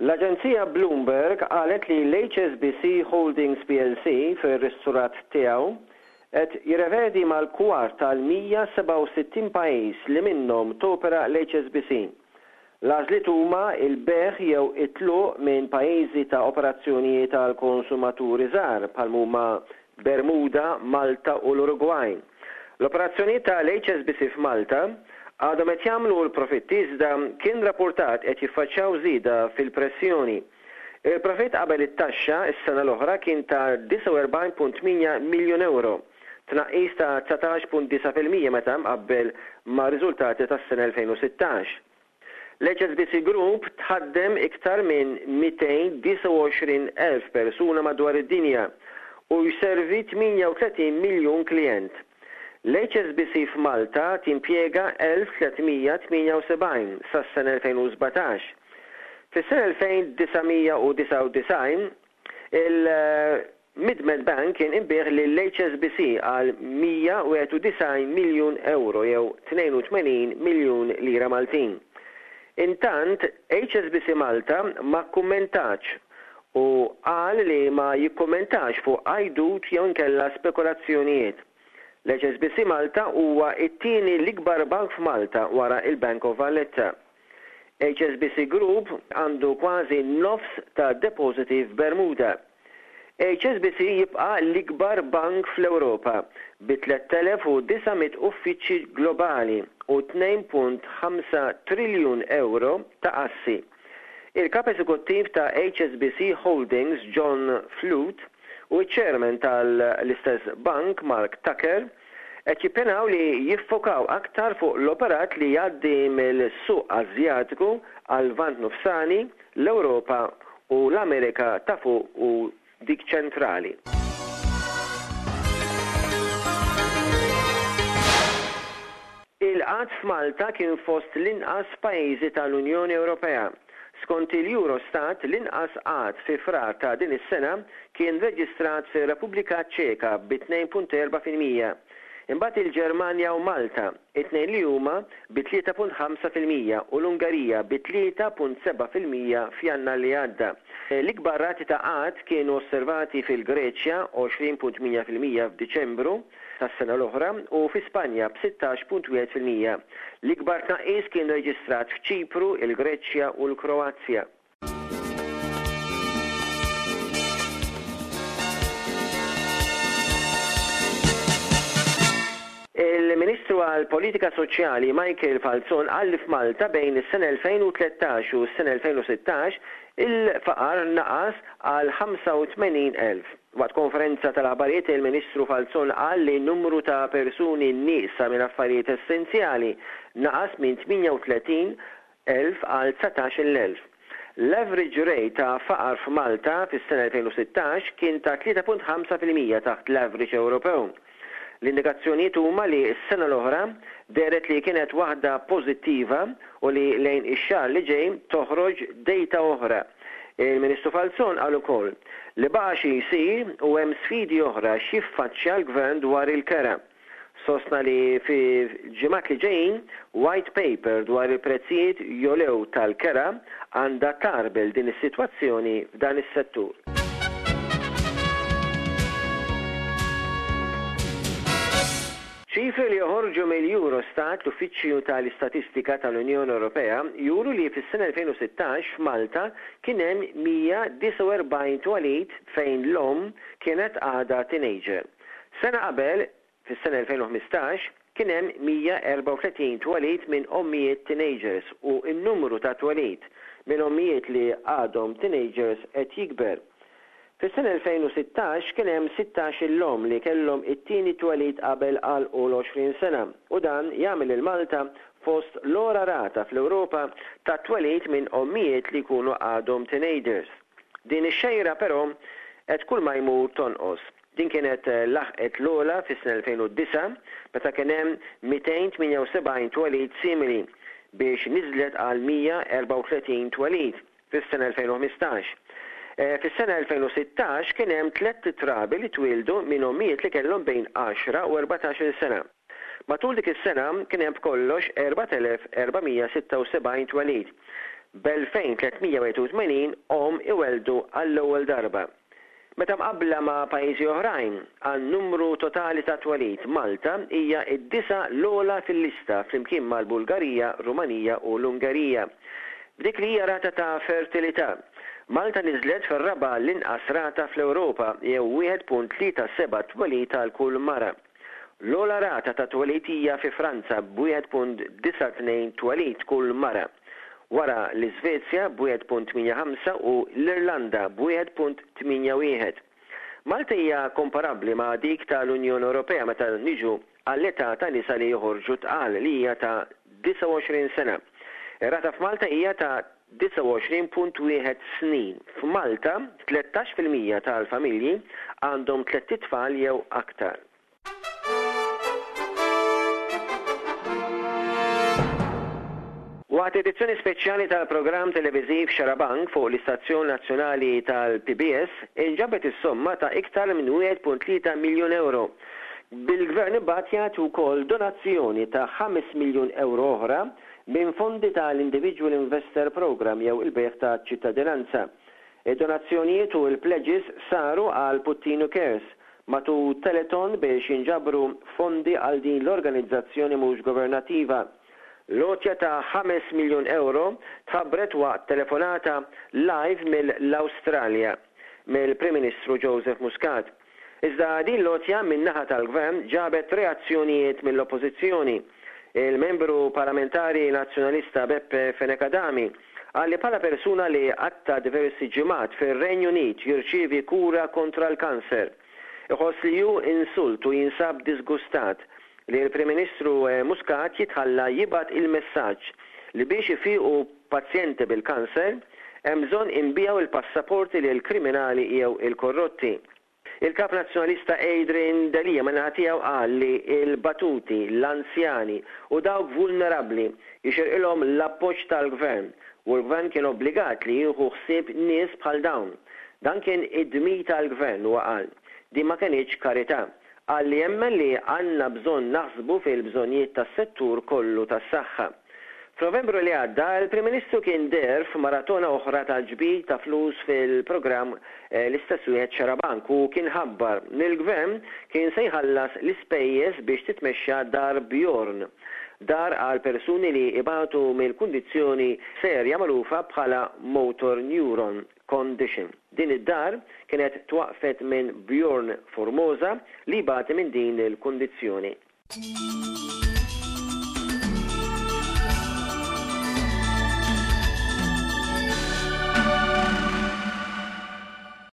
L-aġenzija Bloomberg qalet li l-HSBC Holdings plc fir-risturat tiegħu qed jirrevedi mal-kwart tal-167 pajjiż li minnhom topera l-HSBC. L-għażliet huma l-bejgħ jew it-tluq minn pajjiżi ta' operazzjonijiet għal konsumaturi żgħar bħal m'huma Bermuda, Malta u l-Urugwaj. L-operazzjonijiet ta' l-HSBC f'Malta għadhom qed jagħmlu l-profitti iżda kien rappurtat qed jiffaċċjaw żieda fil-pressjoni. Il-profitt qabel it-taxxa s-sena l-oħra kien ta' 49.8 miljun ewro, tnaqqis ta' 19.9% meta mqabbel mar-riżultati tas-sena 2016. L-HSBC Group tħaddem iktar minn 229,000 persuna madwar id-dinja u jservi 38 miljun klijent. L-HSBC f'Malta timpjega 1,378 sas-sena 2017. Fis-sena 1999, il. Mid-Med Bank kien inbiegħ lill-HSBC għal 191 miljun ewro jew 82 miljun lira Maltin. Intant, HSBC Malta ma kkummentatx u qal li ma jikkummentax fuq għajdut jew inkella spekulazzjonijiet. L-HSBC Malta huwa t-tieni l-ikbar bank f'Malta wara l-Bank of Valletta. HSBC Group għandu kważi nofs tad-depożiti f'Bermuda. HSBC jibqa' l-ikbar bank fl-Ewropa, bi 3,900 uffiċċji globali u 2.5 triljun ewro ta' assi. Il-Kap Eżekuttiv ta' HSBC Holdings John Flute u ċ-Chairman tal-istess bank Mark Tucker qed jippjanaw li jiffokaw aktar fuq l-operat li jgħaddi mill-suq Asjatiku għal-Lvant Nofsani, l-Ewropa u l-Amerika ta' Fuq u dik Ċentrali. Il-qgħad f'Malta kien fost l-inqas pajjiżi tal-Unjoni Ewropea. Skont il-Eurostat, l-inqas qgħad fi Frar ta' din is-sena kien reġistrat fir-Repubblika Ċeka bi 2.4%. Imbagħad il-Ġermanja u Malta, it-tnejn li huma bi 3.5% u l-Ungerija bi 3.7% f'Jannar li għadda. L-ikbar rati ta' qgħad kienu osservati fil-Greċja, 20.8% f'Diċembru tas-sena l-oħra, u fi Spanja b'16.1%. L-ikbar tnaqqis kien reġistrat f'Ċipru, il-Greċja u l-Kroazja. Il-Ministru għall-Politika Soċjali Michael Falzon qal li f'Malta bejn is-sena 2013 u s-sena 2016 il-faqar naqas għal 85,000. Waqt konferenza tal-aħbarijiet il-Ministru Falzon qal li n-numru ta' persuni nieqsa minn affarijiet essenzjali naqas minn 38 elf għal 19,000. L-average rate ta' faqar f'Malta fis-sena 2016 kien ta' 3.5% taħt l-average Ewropew. L-indikazzjonijiet huma li s-sena l-oħra dehret li kienet waħda pożittiva u li lejn ix-xahar li ġej toħroġ data oħra. Il-Ministru Falzon qal ukoll li baqa' xi jsir u hemm sfidi oħra x'jiffaċċja l-Gvern dwar il-kera. Sostna li fil-ġimgħat li ġejjin white paper dwar il-prezzijiet jogħlew tal-kera għandha tgħarbel din is-sitwazzjoni f'dan is-settur. Ċifri li joħorġu mill-Eurostat, l-Uffiċċju tal-Istatistika tal-Unjoni Ewropea, juru li fis-sena 2016 f'Malta kien hemm 149 twelid fejn l-omm kienet għadha teenager. Sena qabel, fis-sena 2015, kien hemm 134 twelid minn ommijiet teenagers u n-numru ta' twelid minn ommijiet li għadhom teenagers qed jikber. Fis-sena 2016 kien hemm 16-il omm li kellhom it-tieni twelid qabel għalqu l-20 sena u dan jagħmel lil Malta fost l-ogħla rata fl-Ewropa ta' twelid minn ommijiet li jkunu għadhom teenagers. Din ix-xejra però qed kull ma jmur tonqos. Din kienet laħqet l-ogħla fis-sena 2009 meta kien hemm 278 twelid simili biex niżlet għal 134 twelid fis-sena 2015. Fis-sena 2016 kien hemm tlett trabi li twieldu minn ommijiet li kellhom bejn għaxra u 14-il sena. Matul dik is-sena kien hemm b'kollox 4,476 twelid, b'2,381 omm iwelldu għall-ewwel darba. Meta mqabbla ma' pajjiżi oħrajn, għan-numru totali ta' twelid, Malta hija d-disa' l-ogħla fil-lista flimkien mal-Bulgarija, Rumanija u l-Ungerija. F'dik li hija rata ta' fertilità, Malta niżlet fir-raba' l-inqas rata fl-Ewropa jew 1.37 twelid għal kull mara. L-ogħla rata ta' twelid hija fi Franza b'1.92 twelid kull mara, wara l-Iżvezja b'1.85 u l-Irlanda b'1.81. Malta hija komparabbli ma' dik tal-Unjoni Ewropea meta niġu għall-età ta' nisa li joħorġu tqal li hija ta' 29 sena. Ir-rata f'Malta hija ta' 29.1 snin. F'Malta, 13% tal-familji għandhom tlett itfal jew aktar. Waqt edizzjoni speċjali tal-programm televiżiv Xarabank fuq l-istazzjon nazzjonali tal-PBS, inġabet is-somma ta' iktar minn 1.3 miljun ewro, bil-Gvern imbagħad jagħti wkoll donazzjoni ta' 5 miljun ewro oħra minn fondi ta' l-Individual Investor Programme jew il-bejgħ ta' ċittadinanza. Id-donazzjonijiet u l-pledges saru għal Puttinu Cares matul telethon biex jinġabru fondi għal din l-organizzazzjoni mhux governattiva. L-għotja ta' ħames miljun ewro tħabbret waqt telefonata live mill-Awstralja mill-Prim Ministru Joseph Muscat. Iżda din l-għotja min-naħa tal-Gvern ġabet reazzjonijiet mill-Oppożizzjoni. Il-Membru Parlamentari Nazzjonalista Beppe Fenech Adami qal li bħala persuna li qatta' diversi ġimgħat fir-Renju Unit jirċievi kura kontra l-kanser, iħoss li hu insult u jinsab diżgustat li l-Prim Ministru Muscat jitħalla jibgħat il-messaġġ li biex ifiqu pazjenti bil-kanser hemm bżonn inbiegħu l-passaporti lill-kriminali jew il-korrotti. Il-Kap Nazzjonalista Adrian Delia min-naħa tiegħu qal li l-batuti, l-anzjani u dawk vulnerabbli jixirqilhom l-appoġġ tal-Gvern u l-Gvern kien obbligat li jieħu ħsieb nies bħal dawn. Dan kien id-dmir tal-Gvern, huwa qal. Din ma kenitx karità. Qal li jemmen li għandna bżonn naħsbu fil-bżonnijiet tas-settur kollu tas-saħħa. F'Novembru li għadda, il-Prim Ministru kien deher f'maratona oħra ta' ġbir ta' flus fil-programm l-istess wieħed Xarabank u kien ħabbar li l-Gvern kien se jħallas l-ispejjeż biex titmexxa Dar Bjorn, dar għal persuni li ibatu mill-kundizzjoni serja magħrufa bħala motor neuron condition. Din id-dar kienet twaqqfet minn Bjorn Formosa li jbati minn din il-kundizzjoni.